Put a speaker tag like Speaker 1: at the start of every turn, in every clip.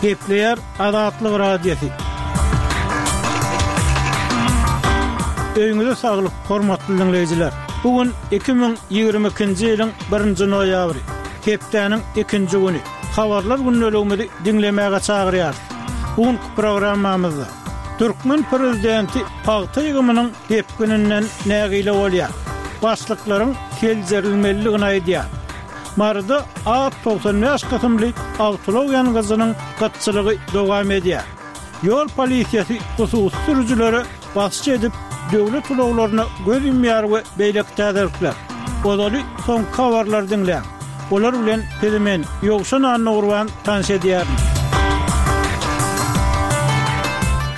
Speaker 1: Gepleýär Azatlyk Radiosy. Öýüňize saglyk, hormatly diňleýjiler! Bu gün 2022-nji ýylyň birinji noýabry, hepdäniň ikinji güni. Habarlar gündeligimizi diňlemäge çagyrýarys. Bu günki programmamyzda türkmen prezidenti pagta ýygymynyň depgininden nägile bolýar. Başlyklaryň seljerilmelidigini aýdýar. Maryda A 95 kysymly awtoulag ýangyjynyň gytçylygy dowam edýär. Ýol polisiýasy hususy sürüjilere basyş edip, döwlet ulaglaryna göz ýumýar we beýleki täzelikler. Ozaly soňky habarlary diňläň. Olar bilen sizi men, Ýowşan Annagurban tanyş edýärin.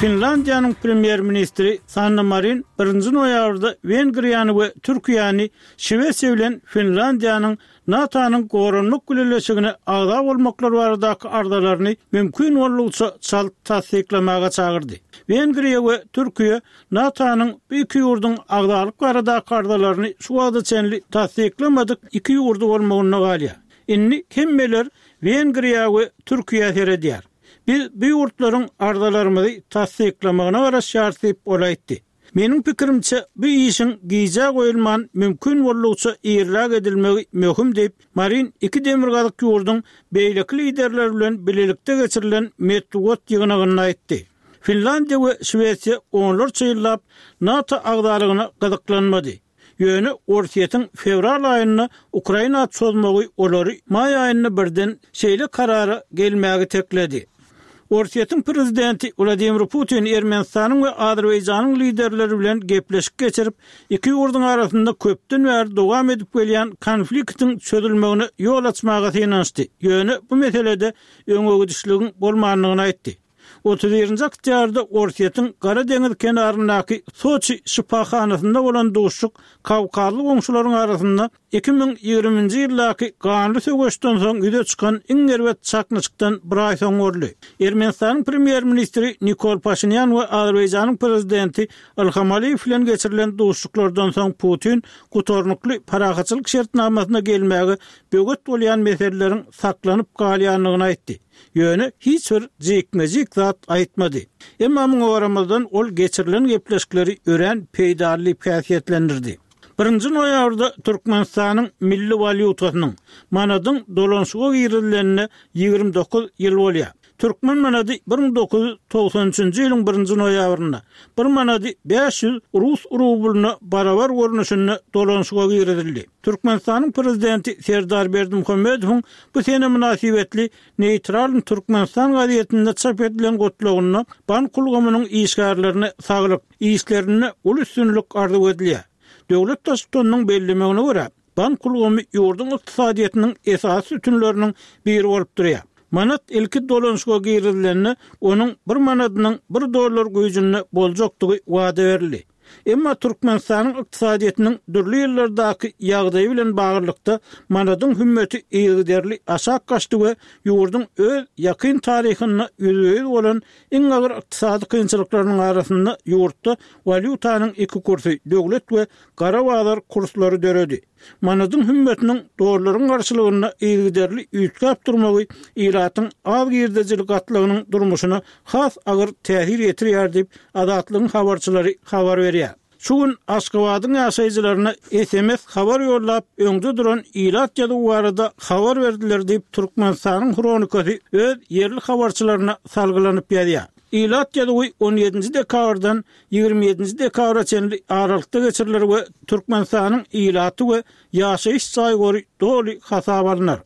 Speaker 1: Finlandiýanyň premýer-ministri Sanna Marin birinji noýabrda Wengriýany we Türkiýäni Şwesiýa bilen Finlandiýanyň NATO-nyň Goranmak Bileleşigine agza bolmaklary baradaky arzalaryny mümkin boldugyça çalt tassyklamaga çagyrdy. Wengriýa we Türkiýe NATO-nyň bu iki ýurduň agzalyk baradaky arzalaryny şu wagta çenli tassyklamadyk iki ýurdy bolmagynda galýar. Indi hemmeler Wengriýa we Türkiýä seredýär. Biz bu ýurtlaryň arzalarymyzy tassyklamagyna garaşýarys diýip, ol aýtdy. Meniň pikirimçe, bu işiň gijä goýulman, mümkin boldugyça irräk edilmegi möhüm diýip, Marin iki demirgazyk ýurduň beýleki liderleri bilen bilelikde geçirilen metbugat ýygnagynda aýtdy. Finlandiýa we Şwesiýa onlarça ýyllap NATO agzalygyna gyzyklanmady. Ýöne Orsýetiň fewral aýynda Ukraina çozmagy olary maý aýynda birden şeýle karara gelmäge itekledi. Orsýetiň prezidenti Wladimir Putin Ermenistanyň we Azerbaýjanyň liderleri bilen gepleşik geçirip, iki ýurduň arasynda köpden bäri dowam edip gelýän konfliktiň çözülmegine ýol açmaga synanyşdy, ýöne bu meselede öňegidişligiň bolmandygyny aýtdy. 31-nji oktýabrda Orsýetiň Gara deňiz kenaryndaky Soçi şypahanasynda bolan duşuşyk kawkazly goňşularyň arasynda 2020-nji ýyldaky ganly söweşden soň ýüze çykan iň erbet çaknyşykdan bir aý soň boldy. Ermenistanyň premýer-ministri Nikol Paşinýan we Azerbaýjanyň prezidenti Ilham Aliýew bilen geçirilen duşuşyklardan soň Putin gutarnykly parahatçylyk şertnamasyna gelmäge böwet bolýan meseleleriň saklanyp galýandygyny aýtdy. Ýöne hiç bir jikme-jik zat aýtmady. Emma muňa garamazdan ol geçirilen gepleşikleri örän peýdaly diýip häsiýetlendirdi. Birinji noýabrda Türkmenistanyň milli walýutasynyň, manadyň dolanyşyga girizilenine 29 ýyl bolýar. Türkmen manady 1993-nji ýylyň birinji noýabrynda bir manady 500 rus rublyna barabar görnüşinde dolanyşyga girizildi. Türkmenistanyň Prezidenti Serdar Berdimuhamedowyň Bu sene mynasybetli Neýtralnyý Türkmenistan gazetinde çap edilen gutlagynda bank ulgamynyň işgärlerine saglyk, işlerinde uly üstünlik arzuw edilýär. Döwlet Baştutanynyň bellemegine görä, bank ulgamy ýurduň ykdysadyýetiniň esasy sütünleriniň biri bolup durýar. Manat ilki dolanyşyga girizilende, onuň bir manadynyň bir dollar güýjünde boljakdygy wada berildi. Emma Türkmenistanyň ykdysadyýetiniň dürli ýyllardaky ýagdaýy bilen baglylykda manadyň hümmeti yzygiderli aşak gaçdy we ýurduň öz ýakyn taryhynda ýüzbe-ýüz bolan iň agyr ykdysady kynçylyklarynyň arasynda ýurtda walýutanyň iki kursy, döwlet we gara bazar kurslary döredi. Manadyň hümmetiniň dollaryň garşylygynda yzygiderli üýtgäp durmagy ilatyň az girdejili gatlagynyň durmuşyna has agyr täsir ýetirýär diýip, Azatlygyň habarçylary habar berýär. Şu gün Aşgabadyň ýaşaýjylaryna sms habar ýollap, öňde duran ilat ýazuwy barada habar berdiler diýip, Türkmenistanyň Hronikasy öz ýerli habarçylaryna salgylanyp ýazýar. Ilat ýazuwy on ýedinji dekabrdan 27-nji dekabra çenli aralykda geçiriler we Türkmenistanyň ilaty we ýaşaýyş jaý gory doly hasaba alnar.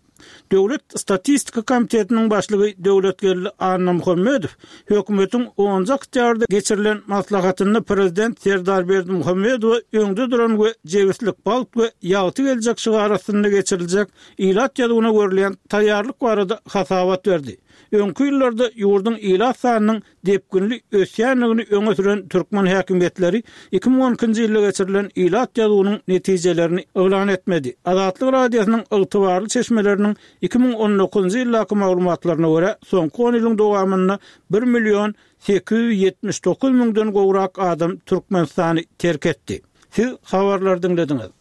Speaker 1: Döwlet statistika komitetiniň başlygy Döwletgeldi Annamuhammedow hökümetiň onunjy oktýabrda geçirilen maslahatynda prezident Serdar Berdimuhamedowa öňde duran we jebislik, bagt we ýagty geljek şygary astynda geçiriljek ilat ýazuwyna görülýän taýýarlyk barada hasabat berdi. Öňki ýyllarda ýurduň ilat sanynyň depginli ösýändigini öňe süren türkmen häkimiýetleri 2012-nji ýylda geçirilen ilat ýazuwynyň netijelerini yglan etmedi. Azatlyk Radiosynyň ygtybarly çeşmeleriniň 2019-njy ýyldaky maglumatlaryna görä, soňky on ýylyň dowamynda bir million 879 müňden gowrak adam Türkmenistany terk etdi. Siz habarlary diňlediňiz.